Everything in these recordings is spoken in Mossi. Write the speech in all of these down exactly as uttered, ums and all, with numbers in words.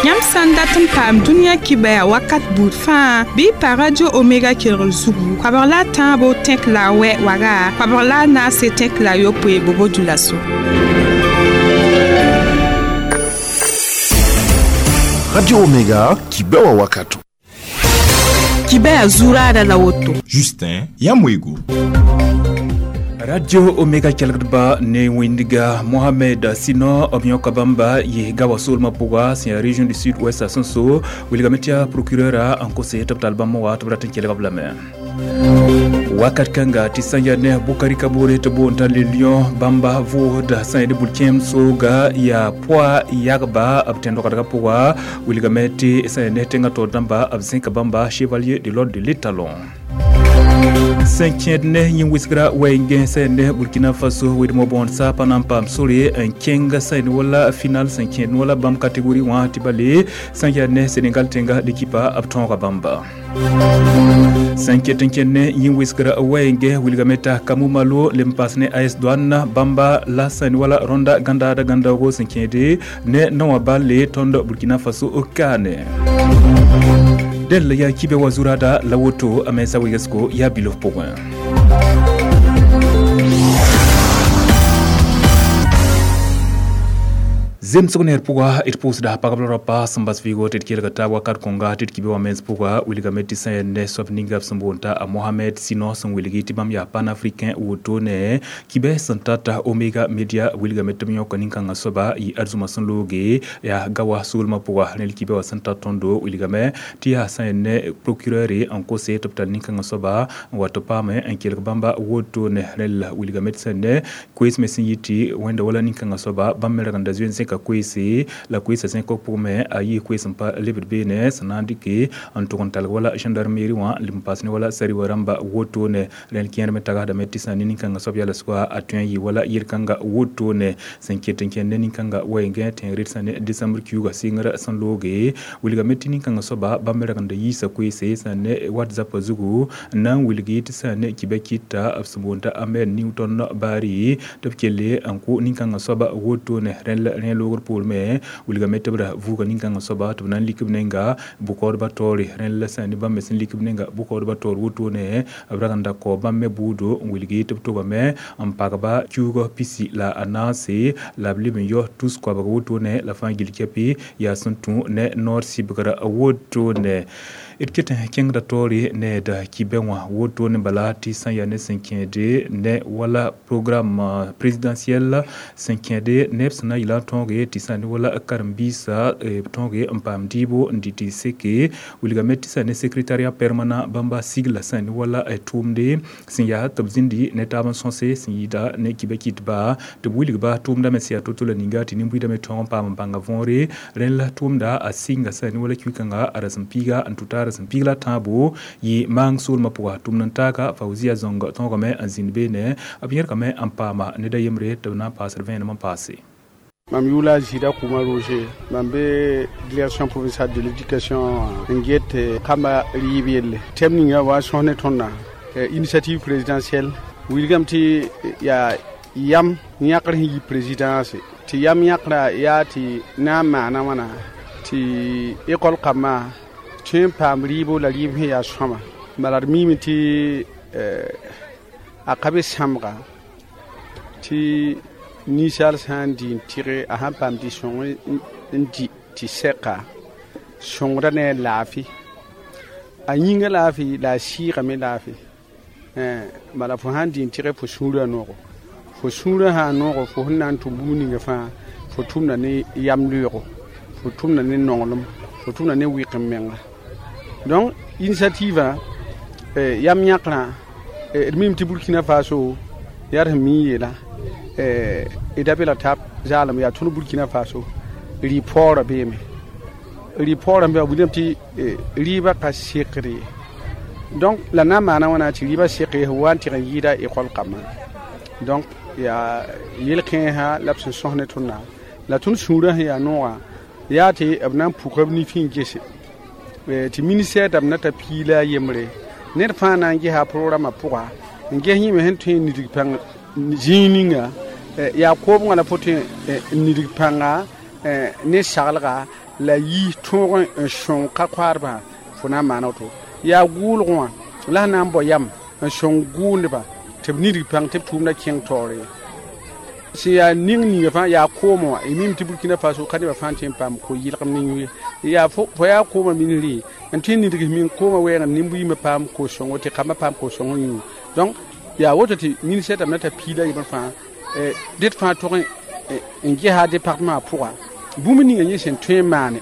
Yãmb sã n dat n paam dũniyã kibɛa wakat buud fãa bɩ y pa Radio Omega kelgr zugu koabg la a tãabo tẽk la a wɛ waga koabg la a naase tẽk la a yopoe bobo dulaso. Radio Omega kibɛwa wakato. Kibɛa zuraada la woto. Justin Yamwego. Radio Omega kelgdba ne wẽndga Mohamed Sino b yõka bãmba yɩsga wa soolmã pʋga sẽn yaa région du sud ouest a sẽn so wilgame tɩ yaa procureur n kose tɩ b tall bãmb wa tɩ b rat n kelg b lame wakat kãnga tɩ sã n yaa ne Bukari Kabore tɩ boond t'a le lion bãmba vʋʋsda sã n yaa ne bul-kẽem sooga yaa poa yagba b tẽn-dogdgã pʋga wilgame tɩ sã n yaa ne tẽngã taoor dãmba b zẽka bãmba chevalier de l'ordre de l'étalon sẽn kẽed ne yĩn-wɩsgra wɛɛngẽ sã ne Burkina Faso wedmã bõond saapã na n paam sore n kẽng sã n wala final sẽn kẽed wala bãmb catégorie wã tɩ bale sã n yaa ne Sénégal tẽnga l'équipe b tõoga bãmba sẽn ket n kẽnd ne yĩn-wɩsgra wɛɛngẽ wilgame t'a Kamu Malo lem paas ne A S Douane bãmba la sã n wala rõnda gãndaada gãndaoogo sẽn kẽede ne naowã balle tõnd Burkina Faso kaane del yaa kibe wa zurada la woto a mensa wegesgo yaa bilof pʋgẽ. Zemsg neer pʋga d pʋʋsda pagb la rapa sẽn bas vɩɩgo tɩ d kelga taab wakat kõnga tɩ d kibe wã mens pʋga wilgame tɩ sã n yaa ne soab ninga b sẽn boond t'a Mohamed Sino sẽn wilgi tɩ bãmb yaa panafricain woto ne kibe sẽn tata Omega Media wilgame tɩ b yõka nin-kãngã soaba yɩ arzũma sẽn looge yaa gawa soolmã pʋga rẽl kibe wã sẽn tar tõndo wilgame tɩ yaa sã n yaa ne procureur n kose tɩ b tall nin-kãngã soaba n wa tɩ paame n kelg bãmba woto ne rẽl wilgame tɩ sã n ne koees me sẽn yɩ tɩ wẽnda wala nin-kãngã soaba bãmb me rag n da zoe n zẽka koeese la koeesã zẽk b pʋgẽ a yɩ koees n pa lebd beene sẽn na n dɩke n tʋg n talg wala gendarmerie wã n leb n paas ne wala sariwa rãmba wotone rẽnd kẽer me tagsdame tɩ sã ne nin-kãngã soab yaa la sʋka a tõe n yɩ wala yel-kãnga wotone sẽn ket n kẽnd ne nin-kãnga wɛɛngẽ tẽng red sã ne décembre kiuugã sɩngr sẽn looge wilgame tɩ nin-kãngã soaba bãmb me rag n da yiisa koeese sã ne WhatsApp zugu n na n wilgi tɩ sã ne kibã kɩta b sẽn boond t'a Ahmed Newton Bari tɩ b kelle n kʋ nin-kãngã soaba wotone rẽnd rẽ loogr poor me wilgame tɩ b ra vuuga nin-kãngã soaba tɩ b na n lik b nenga bʋkaoodbã taoore rẽnd la sã n ne bãmb me sẽn lik b nenga bʋkaoodbã taoor wotone b rag n da kao bãmb me bʋʋdo n wilgi tɩ b togame n pagba kiuugã pisi la a naase la b leb n yao tus koabg wotone la fãa gill kɛpɩ yaa sẽn tũ ne noor sɩbgra wotone d ket n kẽngda taoore ne da kibɛ wã wotone bala tɩ sã n yaa ne sẽn kẽede ne wala programme présidentiel sẽn kẽede neb sẽn na n yɩla n tõoge tɩ sã n ne wala karen-biisã b tõoge n paam dɩɩbo n dɩ tɩ seke wilgame tɩ sã ne secrétariat permanent bãmba sigla sã n ne wala tʋʋmde sẽn yaa tɩ b zĩndi ne taab n sõse sẽn yɩɩda ne kibã kɩtba tɩ b wilgba tʋʋmda me sẽn yaa to-to la ninga tɩ nin-buiidame tõog n paam n bãnga võore rẽnd la tʋʋmda a sɩnga sã n ne wala kiu-kãnga a rasem-piiga n tʋ t'a rasem piig la tãabo yɩ maang soolmã pʋga tʋmd n taaga Fauzia Zong tõogame n zĩnd beene b yẽrgame n paama ned a yembre tɩ b na n paasd vẽenem n paase. Mam yʋʋla Zida Kuma Roger, mam be direction provinciale de l'éducation n get kamba rɩɩb yelle. Tɛm ninga wa sõs ne tõndã initiative présidentielle wilgame tɩ yaa yam yãkr sẽn yi présidence tɩ yam yãkra yaa tɩ na n maana wãna tɩ école kambã tõe n paam rɩɩbo la rɩɩb sẽn yaa sõama bala d miime tɩ a ka be sãmbga tɩ ninsaal sã n dɩ n tɩge a sãn paam dɩ-sõng n dɩ tɩ sɛka sõngda ne a laafɩ a yĩnga laafɩ la a sɩɩgame laafɩ bala fo sã n dɩ n tɩge fo sũurã noogo fo sũurã sã n noogo fo sẽn na n tʋm bũmb ninga fãa fo tʋmda ne yam loeego fo tʋmda ne nonglem fo tʋmda ne wɩk n menga donc initiative yam yãkrã d mim tɩ Burkina Faso yaa d sẽn mi n yeela d da be la tab zaalem yaa tõnd Burkina Faso rɩ paoorã beeme rɩ paoorã n be wilgame tɩ rɩɩbã ka sekd ye donc la na n maana wãna tɩ rɩɩbã sek ye sẽn wa n tɩg n yɩɩda école kambã donc yaa yel-kẽesã la b sẽn sõs ne tõndã la tõnd sũurã sẽn yaa noogã yaa tɩ b na n puka b nifẽ n gese tɩ ministère dãmb na ta piila a yembre ned fãa na n gesa a programmã pʋga n ges yĩme sẽn tõe n nidg pãng zĩig ninga yaa koobgã la fo tõe n nidg pãnga ne saglga La yi tõog n sõng ka-koaadbã fo na n maana woto yaa gʋʋlgẽ wã la sẽn na n bao yam n sõng gʋʋndbã tɩ b nidg pãng tɩ b tʋʋmda kẽng taoore sẽn yaa ning ninga fãa yaa koomã wã y mim tɩ Burkina Faso ka nebã fãa tõe n paam ko-yɩlgem ne yũ ye yaa fo yaa koomã ministre n tõe n nidg min koomã wɛɛng nimb-yiimã paam ko-sõngo tɩ kambã paam ko-sõng yũ donc yaa woto tɩ ministère dãmb na t'a piila yembr fãa ded fãa tog n gesa département pʋga bũmb ninga yẽ sẽn tõe n maane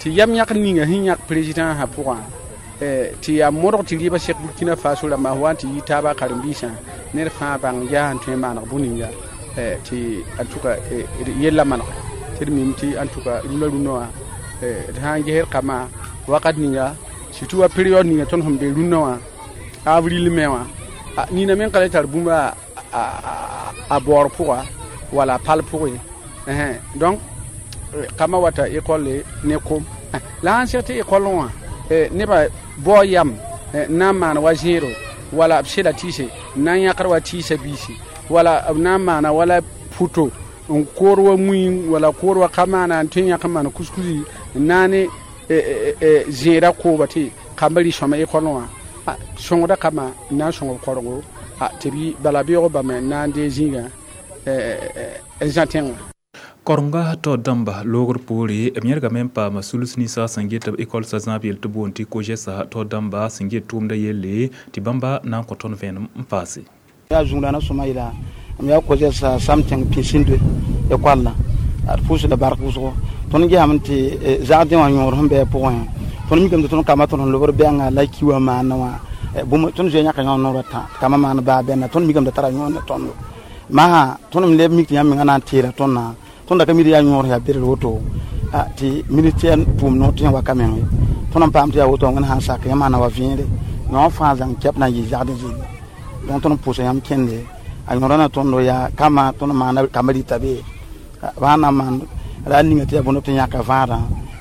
tɩ yam yãk ninga sẽn yãk président sã pʋgã tɩ yaa modg tɩ rɩɩbã sek Burkina Faso rãmbã wa n tɩ yi taaba karen-biisã ned fãa bãng yaa sẽn tõe n maaneg bũ-ninga tɩ en tout cas yella maneg tɩ d mim tɩ en tout cas rũnã rũnã wã d sã n gesd kambã wakat ninga surtout wa période ninga tõnd sẽn be rũnã wã avril me wã nina me n ka le tar bũmb a baoor pʋga wala a pal pʋgẽ donc kambã wata école ne kom la sãn seg tɩ école wã nebã bao yam n na n maan wa zẽedo wala b sela tɩɩse n na n yãkd wa tɩɩsa biisi wala b na n maana wala puto n koor wa mui wala koor wa ka maana n tõe n yãk n maan kuskusi n na ne zẽeda kooba tɩ kambã rɩ-sõma école wã sõngda kambã n na n sõng b korengo tɩ b bala beoog bãmb n na n dee zĩigã n zã tẽngã. Korenga tao dãmba loogr poore b yẽrgame n paama sulus ninsã sẽn get b ekol sã zãab yel tɩ boond tɩ kogesa tao dãmba sẽn get tʋʋmda yelle tɩ bãmba na n kõ tõnd vẽenem n paase. Yaa zũudãna sõma yeela m yaa kogesa sam tẽng pĩsĩndoe ekolla d pʋʋsda bark wʋsgo tõnd gesame tɩ zagdẽ wã yõor sẽn bɩ a pʋgẽ tõnd mikame tɩ tõnd kambã tõnd sẽn lobd bɛnga la ki wã maana wã bũmb tõnd zoe yãka yõ noorã tã kambã maan baa bɛnna tõnd mikame tɩ tara yõor ne tõndo masã tõnd m leb mik tɩ yãmb menga na n teera tõndã tõnd da ka mi tɩ yaa yõor yaa berel woto tɩ ministère pʋʋm noor tɩ yẽ waka meng ye tõnd n paam tɩ yaa woto wẽnd sã n sak yãmb sã na wa vẽere yõ fãa zãng kɛp na n yɩ zagdẽ zĩnga donc tõnd n pʋʋsa yãmb kẽnde a yõora na tõndo yaa kambã tõnd maana kambã rɩta be b sã na n maan ra ninga tɩ yaa bõnd tɩ yãka vãadã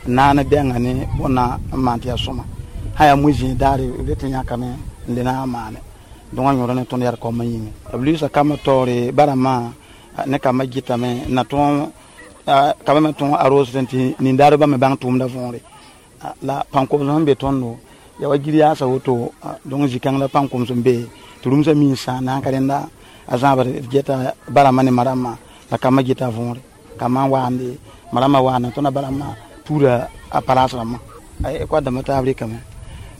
n naana bɛnga ne bõnna n maan tɩ yaa sõma sã yaa moe-zẽed daare b le tɩ yãkame n le na n maane donc a yõora ne tõnd yaa d kaoomã yĩnga b luiisa kambã taoore barama ne kambã gɩtame n na tõog kambã me tõog arose tɩ nindaadbã me bãng tʋʋmda võore la pãn-koms sẽn be tõndo ya wa gir yaasa woto donc zĩ-kãng la pãn-koms n be tɩ rũmsã mi n sãan na n ka rẽnda a zãabd d geta barama ne marama la kambã geta võore kambã n waande marama waana tõnd a barama tuura a palaas rãmbã ekɔd dãmbã taab rɩkame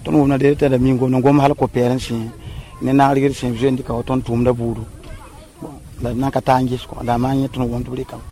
tõnd wʋmna deel t'a da mi n gomd n gom hal ko-pɛɛr n sẽ ne naag rigd sẽn zoe n dɩka wa tõnd tʋʋmda buudu la d na n ka taa n ges kõ la a maan yẽ tõnd wʋm tɩ b rɩkame.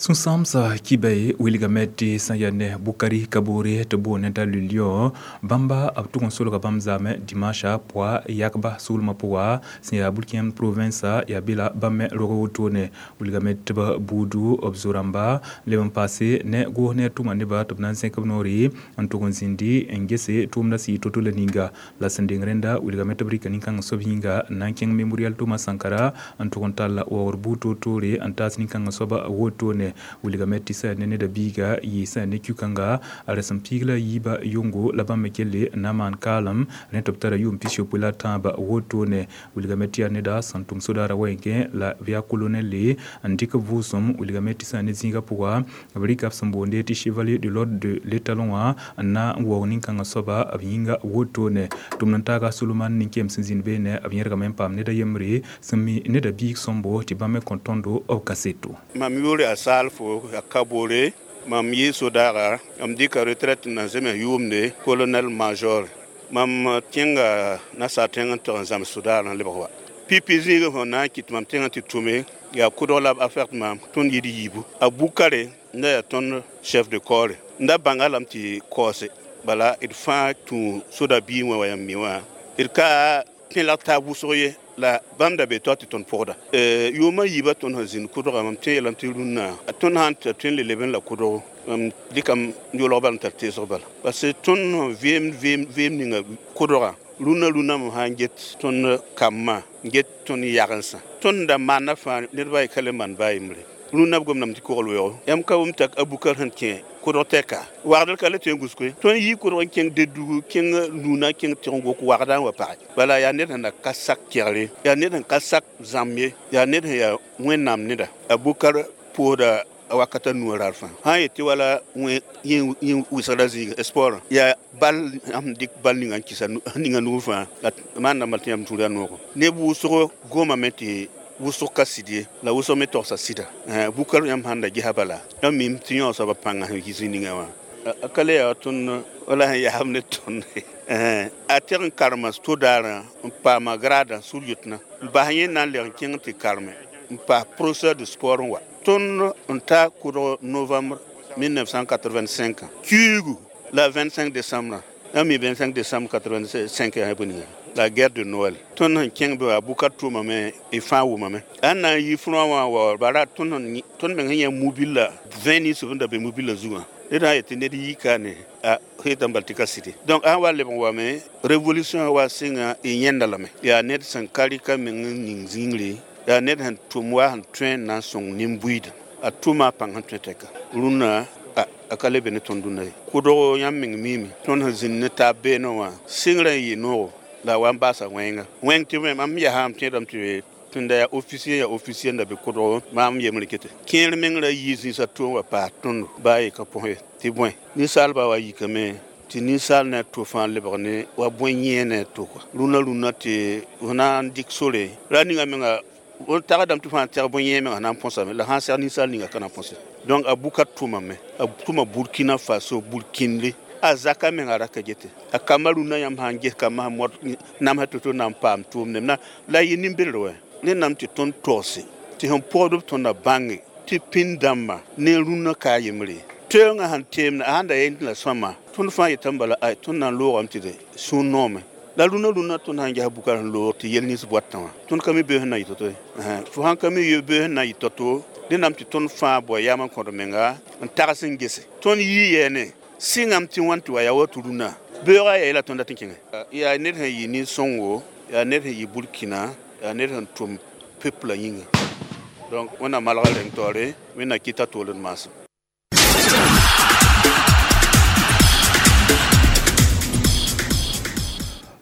Sũ-sãamsã kiba wilgame tɩ sẽn yaa ne Bukari Kabore tɩ boond t'a le lion bãmba b tʋg n solga bãmb zaamẽ dimanche pʋa yakba soolmã pʋga sẽn yaa Burkina province yaa be la bãmb me rog wotone wilgame tɩ b buudu b zo-rãmba leb n paase ne goos ne tʋma nebã tɩ b na n zẽk b noore n tʋg n zĩndi n gese tʋʋmdã sɩ to-to la ninga la sẽn deng rẽnda wilgame tɩ b rɩka nin-kãng soab yĩnga n na n kẽng mémorial Thomas Sankara n tʋg n tall waoogr buud toor-toore n taas nin-kãngã soaba wotone wilgame tɩ sã ne neda biiga yɩ sã ne kyu-kãnga a rasem piig la yiiba yʋngo la bãmb me kelle n na n maan kaalem rẽ tɩ b tara yʋʋm pis-yopoe la tãabã wotone wilgame tɩ yaa neda sẽn tʋm sodaara wa-kẽ la b yaa colonel le n dɩk b vʋʋsem wilgame tɩ sã ne zĩigã pʋga b rɩka b sẽn boonde tɩ chevalier de l'ordre de l'étalon wã n na n waoog nin-kãngã soaba b yĩnga wotone tʋmd n taaga Suleman nin-kem sẽn zĩnd beene b yẽrgame n paam neda yembre sẽn mi neda biig sõmbo tɩ bãmb me kõ tõndo b kaseto. Mam yʋʋr yaa Salfo yaa Kabore mam yɩ sodaga m dɩka retraite n na zeme yʋʋmde colonel major mam kẽnga nasaar tẽng n tɩg n zãms sodaar n lebg wa pipi zĩigã sẽn na n kɩt mam tẽngã tɩ tʋme yaa kʋdg la b affecte maam tõnd yɩ d yiibu a Bukare n da yaa tõnd chef de corps n da bãnga lame tɩ kaoose bala d fãa tũ soda biig wã wa yãmb mi wã d ka tẽlag taab wʋsg ye la bãmb da be tao tɩ tõnd pʋgda yʋʋmã yiibã tõnd sẽn zĩnd kʋdga mam tẽ yeelame tɩ rũnnã tõnd sãn tɩ tõe n le leb n la kʋdgo mam dɩkam yolg bala n tar teesg bala parce que tõnd sẽn veem veem veem ninga kʋdga rũnnã rũnnã mam sã n get tõnd kambã n get tõnd yagensã tõnd da maana fãa ned ba ye ka le maan baa yembre rũnnã b gomdame tɩ kogl weoogo yãmb ka wʋm t'a a Bukar sẽn kẽ kʋdg tɛka wagdr ka le tõe n gũsko ye tõnd yii kʋdg n kẽng dedugu kẽng nuna kẽng tɩg n gok wagda n wa page bala yaa ned sẽn na ka sak kegre yaa ned sẽn ka sak zãmb ye yaa ned sẽn yaa wẽnnaam neda a Bukar pʋʋsda wakata nu rar fãa sã n yet tɩ wala yẽ wɩsgra zĩig sport yaa bal sẽn dɩk bal ninga n kɩsa ninga nug fãa la maanda bal tɩ yãmb tũud a noogo neb wʋsgo gomame tɩ wʋsg ka sɩd ye la wʋsg me togsa sɩda bukar yãmb sãn da gesa bala yãmb mim tɩ yão soaba pãnga sẽn yi zĩ ninga wã a ka le yaa tõnd wala sẽn yaasb ne tõnd a teg n karema to-daarã n paama grada sur-yʋtna n bas yẽ na n leg n kẽng tɩ karme n paas professeur de sport n wa tõnd n ta kʋdg novembre mille neuf cent quatre-vingt-cinq kiuugu la vingt-cinq décembre yãmb mi vingt-cinq décembre quatre-vingt-cinq yaa bõe ninga la guerre de Noël tõnd sẽn kẽng be wa bukar tʋʋmame y fãa wʋmame a na n yi frõ wã wa bara tõnd tõnd meng sẽn yã mobila vingt ninsb n da be mobila zugã ned sã n yet tɩ ned yika ne a heetame bal tɩ ka sɩde donc a sã wa leb n wame révolution wa sɩnga y yẽnda lame yaa ned sẽn ka rɩka meng n ning zĩngre yaa ned sẽn tʋm wa sẽn tõe n na n sõng nin-buiida a tʋma a pãng sẽn tõe tɛka rũnnã a ka le be ne tõnd dũnna ye kʋdg yãmb meng miime tõnd sẽn zĩnd ne taab beene wã sɩngrã n yɩ noogo la wa n baasa wẽnga wẽng tɩ mam yasam tẽedame tɩ tẽnda yaa officier yaa officier n da be kʋdg maam yembre kete kẽer meng ra yɩ zĩisã tʋʋm wa paas tõndo baa ye ka põs ye tɩ bõe ninsaalba wa yikame tɩ ninsaal ne a to fãa lebg ne wa bõe yẽ ne a to rũnã rũnã tɩ f na n dɩk sore ra ninga menga tagdame tɩ fãa tɛg bõe yẽ menga na n põsame la sã n seg ninsaal ninga ka na põse donc a buka tʋmame a tʋma Burkina Faso burkinde a zaka menga ra ka gete a kamba rũnã yãmb sã n ges kambã sẽn mod namsã to-to na n paam tʋʋm nemna la yɩ nin-belr wɛ ne nam tɩ tõnd togse tɩ sẽn pʋgdb tõnda bãnge tɩ pĩnd dãmba ne rũnã ka a yembre teoongã sẽn teemda a sãn da yẽ la sõama tõnd fãa yetame bala ay tõnd na n loogame tɩ de sũur noome la rũnã rũnã tõnd sãn ges bukar sẽn loog tɩ yel nins boatã wã tõnd ka mi bee sẽn na yɩ to-to ye fo sãn ka mi bee sẽn na yɩ to-to dẽ nam tɩ tõnd fãa bao yam n kõd menga n tags n gese tõnd yii yɛɛne sɩngame tɩ wãn tɩ wa yaa wa tɩ rũnã beoogã yaa yela tõnd dat n kẽnge yaa ned sẽn yɩ nin-sõngo yaa ned sẽn yɩ Burkina yaa ned sẽn tʋm peuple yĩnga donc wẽnnaam malga reng taoore wẽnnaam kɩta toold maasem.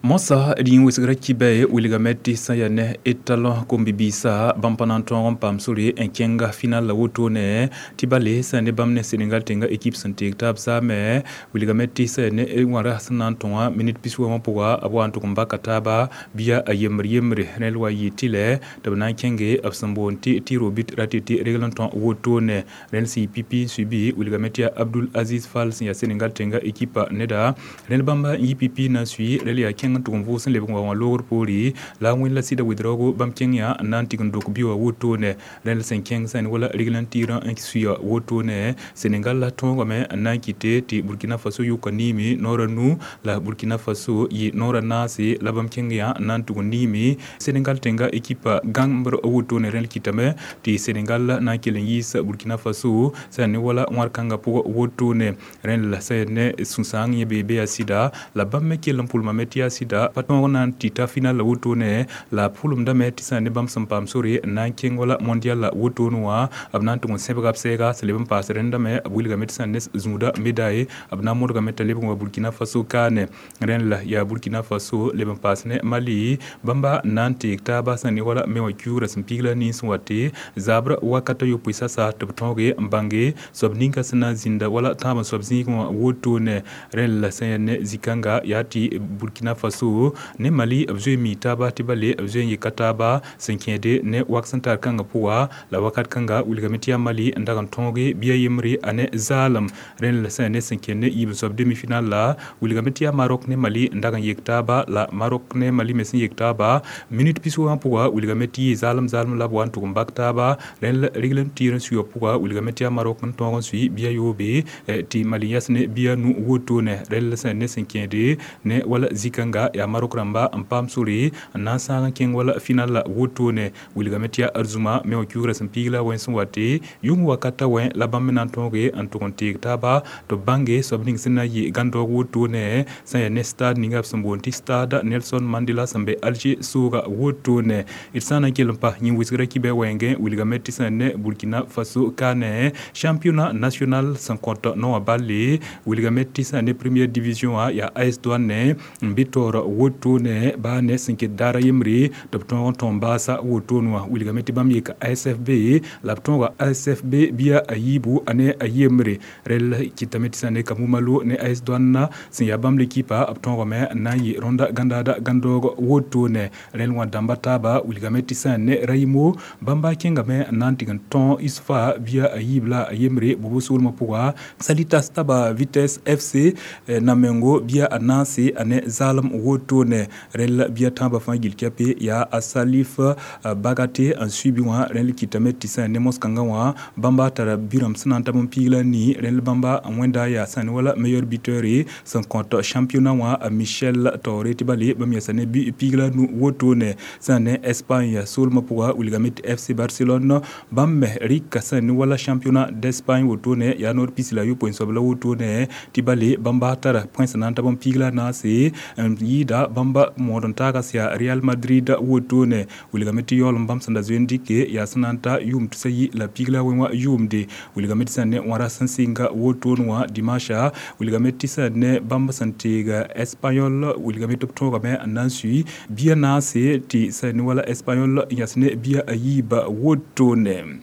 Mosa d yĩn wɩsgra kibɛ wilgame tɩ sã yaa ne etalon kom-bibiisã bãmb pa na n tõog n paam sore n kẽnga final la wotone tɩ bale sã ne bãmb ne Senegal tẽnga ekip sẽn teeg taab saame wilgame tɩ sã ne wãra sẽn na n tõa minit pis wã pʋga b wa n tʋg n baka taaba bɩa a yembr yembre rẽl wa yɩ tɩ lɛ tɩ b na n kẽnge b sẽn boond tɩ tɩ robit ra tɩ tɩ regl n tõ wotone rẽnd sẽn yɩ pipi n sui bɩ wilgame tɩ yaa Abdul Aziz Fall sẽn yaa Senegal tẽnga ekipa neda rẽnd bãmba n yɩ pipi na n sui rẽl yaa kẽng n tʋg n vʋʋs n lebg n wa wã loogr poore la a wẽnd la sɩda wedraoogo bãmb kẽng yã n na n tɩg n dok bi wã wotone rẽnd sẽn kẽng sã wala regl n tɩɩrã n suya wotone Senegal la tõogame n na n kɩte tɩ Burkina Faso yʋka niime noora nu la Burkina Faso yɩ noora naase la bãmb kẽng yã n na n tʋg n niime Senegal tẽnga ekipa gãmbr wotone rẽnd kɩtame tɩ Senegal na n kell n yiis Burkina Faso sã ne wala wãr-kãngã pʋgã wotone rẽnd la sã ne sũ-sãang yẽ bee be yaa sɩda la bãmb me kell n pʋlmame tɩ yaa sɩda pa tõog na n tɩ ta final la wotone la pʋlemdame tɩ sã ne bãmb sẽn paam sore n na n kẽng wala mondial la wotone wã b na n tʋg n sẽbga b sɛɛga sẽn leb n paas rẽndame b wilgame tɩ sã ne zũuda medaye b na n modgame t'a lebg n wa Burkina Faso kaane rẽnd la yaa Burkina Faso leb n paas ne Mali bãmba n na n teeg taaba sã ne wala me wã kiuugrã sẽn piig la nins n wa tɩ zabr wakata yopoe sasa tɩ b tõoge n bãnge soab ninka sẽn na n zĩnda wala tãab n soab zĩigẽ wã wotone rẽnd la sã yaa ne zĩ-kãnga yaa tɩ Burkina Faso ne Mali b zoe mi taaba tɩ bale b zoe n yeka taaba sẽn kẽede ne wak sẽn tar kãngã pʋga la wakat kãnga wilgame tɩ yaa Mali n dag n tõoge bɩa yembre a ne zaalem rẽnd la sã ne sẽn kẽnd ne yiib n soab demi-final la wilgame tɩ yaa Maroc ne Mali n dag n yek taaba la Maroc ne Mali me sẽn yek taaba minit pis wã pʋga wilgame tɩ yɩ zaalem zaalem la b wa n tʋg n bak taaba rẽnd la regl n tɩɩr n suya pʋga wilgame tɩ yaa Maroc n tõog n sui bɩa yoobe tɩ Mali yɛs ne bɩa nu wotone rẽnd la sã ne sẽn kẽede ne wala zĩ-kãnga yaa Maroc rãmba n paam sore n na n sãag n kẽng wala final la wotone wilgame tɩ yaa arzũma me wã kiuugrã sẽn piig la wẽns n wa tɩ yʋng wakata wẽ la bãmb me na n tõoge n tʋg n teeg taaba tɩ b bãnge soab ning sẽn na n yɩ gãn-daoog wotone sã n yaa ne stade ninga b sẽn boond tɩ stade Nelson Mandela sẽn be Alger sooga wotone d sã n na n kell n pa yĩn wɩsgrã kibɛ wɛɛngẽ wilgame tɩ sã ne Burkina Faso kaane championnat national sẽn kõt no wã balle wilgame tɩ sã ne première division wã yaa A S Douane n be taoor Sport wotone ba ne sẽn ket daara yembre tɩ b tõog n tõm baasa wotone wã. Wilgame tɩ bãmb yeka A S F B la b tõoga A S F B bia a yiibu a ne a yembre. Rel kɩtame tɩ sã ne Kamou Malo ne A S Douane sẽn yaa bãmb lekipa, b tõogame n na n yɩ rõnda gãndaada gãndoog wotone. Rẽl wã dãmba taaba wilgame tɩ sã ne Raimo, bãmba kẽngame n na n tɩg n tõ U S F A bia a yiib la a yembre bobo soolmã pʋga. Salitas taba Vitesse F C namengo bia a naase a ne zaalem wotone. Rẽl bia tãabã fãa gill kɛpe yaa a Salif Bagate n sui bɩ wã. Rẽl kɩtame tɩ sã ne mos-kãngã wã bãmba tara bi-rãmb sẽn na n tab n piig la nii. Rẽl bãmba n wẽnda yaa sã ne wala meilleur buteur sẽn kõt championnat wã, Michel Taore, tɩ bale bãmb yɛsa ne piig la nu wotone. Sã ne Espagne soolmã pʋga, wilgame tɩ F C Barcelone bãmb me rɩka sã ne wala championnat d'Espagne wotone, yaa noor pis la yopoe soab la wotone, tɩ bale bãmba tara point sẽn na n tab n piig la naase n yɩɩda bãmba mood n taaga sẽn yaa Real Madrid wotone. Wilgame tɩ yaool n bãmb sẽn da zoe n dɩke yaa sẽn na n ta yʋʋm tusa yi la piig la wẽ wã yʋʋmde. Wilgame tɩ sã ne wãra sẽn sɩnga wotone wã dimanche, wilgame tɩ sã ne bãmb sẽn teeg Espanyol, wilgame tɩ b tõogame n na n sui bia naase, tɩ sã ne wala Espanyol n yas ne bia a yiiba wotone.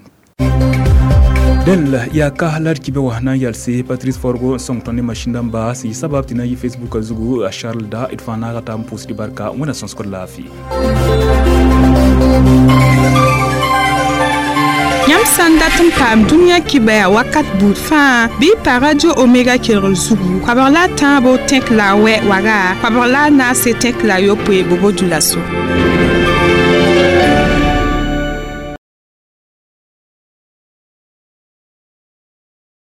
Dẽn yaa ka la d kibe wã na n yalse Patrice Forgo n sõng tõnd ne masĩn dãmba sẽn yɩ sabab tɩ na n yɩ Facebook a zugu. A Charles da d fãa naaga taa n pʋʋsd barka. Wẽna sõsgd laafɩ. Yãmb sã n dat n paam dũniyã kibaya wakat buud fãa, bɩ y pa Radio Omega kelgr zugu, koabg la a tãabo tẽk la a wɛ waga, koabg la a naase tẽk la a yopoe bobo dulaso.